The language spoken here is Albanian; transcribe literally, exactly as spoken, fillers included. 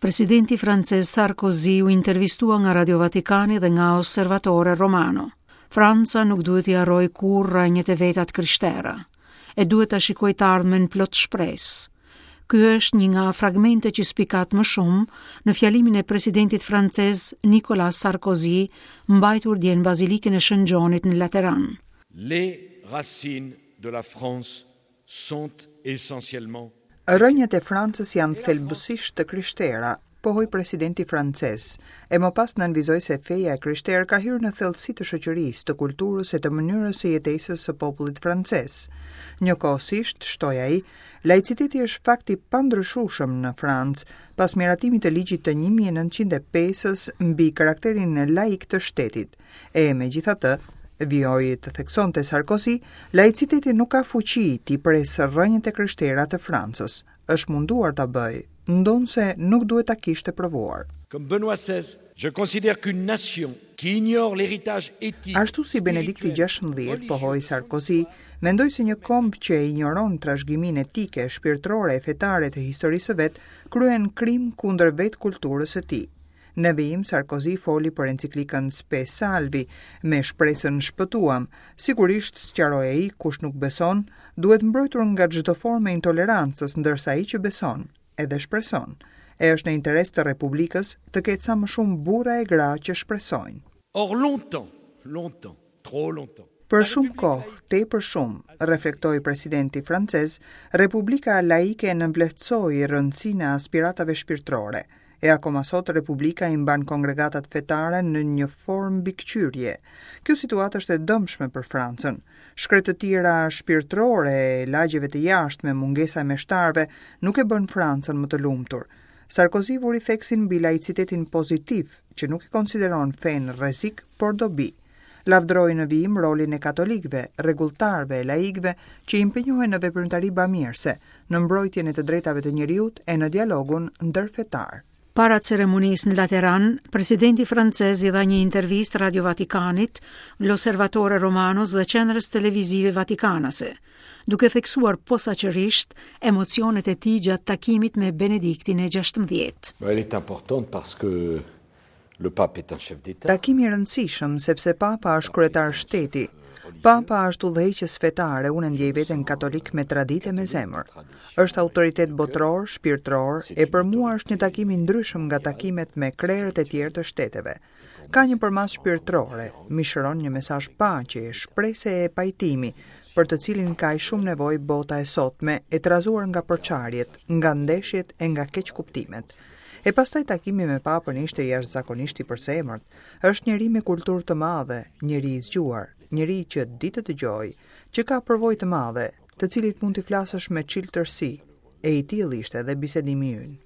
Presidenti francez Sarkozy u intervistua nga Radio Vatikani dhe nga Osservatore Romano. Franca nuk duhet t'i harrojë kurrë rrënjët e veta të krishtera, e duhet ta shikojë të ardhmen plot shpresë. Ky është një nga fragmentet që spikat më shumë në fjalimin e presidentit francez Nicolas Sarkozy, mbajtur dje në Bazilikën e Shën Gjonit në Lateran. Les racines de la France sont essentiellement Rrënjët e Francës janë thelbësisht të krishtera, pohoi presidenti francez, e më pas nënvizoi se feja e krishterë ka hyrë në thellësi të shoqërisë, të kulturës e të mënyrës së jetesës së popullit francez. Njëkohësisht, shtoi ai, laiciteti është fakt i pandryshueshëm në Francë, pas miratimit të ligjit të një mijë e nëntëqind e pesës mbi karakterin laik të shtetit. E megjithatë, vijoi të theksonte Sarkozy, laiciteti nuk ka fuqi t'i presë rrënjët e krishtera të Francës. Është munduar ta bëjë, ndonëse nuk duhet ta kishte provuar. Comme Benoît seize, je considère qu'une nation qui ignore l'héritage éthique Ashtu si Benedikti gjashtëmbëdhjetë, pohoi Sarkozy, mendoj se një komb që e ignoron trashëgiminë etike, shpirtërore e fetare të historisë së vet, kryen krim kundër vetë kulturës së tij. Në vijim, Sarkozy foli për enciklikën Spe Salvi, me shpresën shpëtuam. Sigurisht, sqaroi ai, kush nuk beson, duhet mbrojtur nga çdo formë e intolerancës, ndërsa ai që beson, edhe shpreson. E është në interes të Republikës të ketë sa më shumë burra e gra që shpresojnë. Or longtemps, longtemps, trop longtemps. Për shumë kohë, tepër shumë, reflektoi presidenti francez, Republika laike nënvlerësoi rëndësinë e aspiratave shpirtërore. E akoma sot Republika i mban kongregatat fetare në një formë mbikëqyrje. Kjo situatë është e dëmshme për Francën. Shkretëtira shpirtërore e lagjeve të jashtme, mungesa e meshtarëve, nuk e bën Francën më të lumtur. Sarkozy vuri theksin mbi laicitetin pozitiv, që nuk e konsideron fenë rrezik, por dobi. Lavdroi në vijim rolin e katolikëve, rregulltarëve e laikëve që impenjohen në veprimtari bamirëse, në mbrojtjen e të drejtave të njeriut e në dialogun ndërfetar. Para ceremonisë në Lateran, presidenti francez i dha një intervistë Radio Vatikanit, L'Osservatore Romanos dhe qendrës televizive vatikanase, duke theksuar posaçërisht emocionet e tij gjatë takimit me Benediktin e gjashtëmbëdhjetë. Elle est importante parce que le pape est un chef d'État. Takimi i rëndësishëm sepse Papa është kryetar shteti. Papa është udhëheqës fetar e unë e ndjej veten katolik me traditë e me zemër. Është autoritet botëror, shpirtëror, e për mua është një takim i ndryshëm nga takimet me krerët e tjerë të shteteve. Ka një përmasë shpirtërore, mishëron një mesazh paqe, shprese e pajtimi, për të cilin ka shumë nevojë bota e sotme, e trazuar nga përçarjet, nga ndeshjet e nga keqkuptimet. E pastaj takimi me Papën ishte jashtëzakonisht i përzemërt. Është njeri me kulturë të madhe, njeri i zgjuar, njeri që di të dëgjojë, që ka përvojë të madhe, të cilit mund t'i flasësh me çiltërsi. E i tillë ishte edhe bisedimi ynë.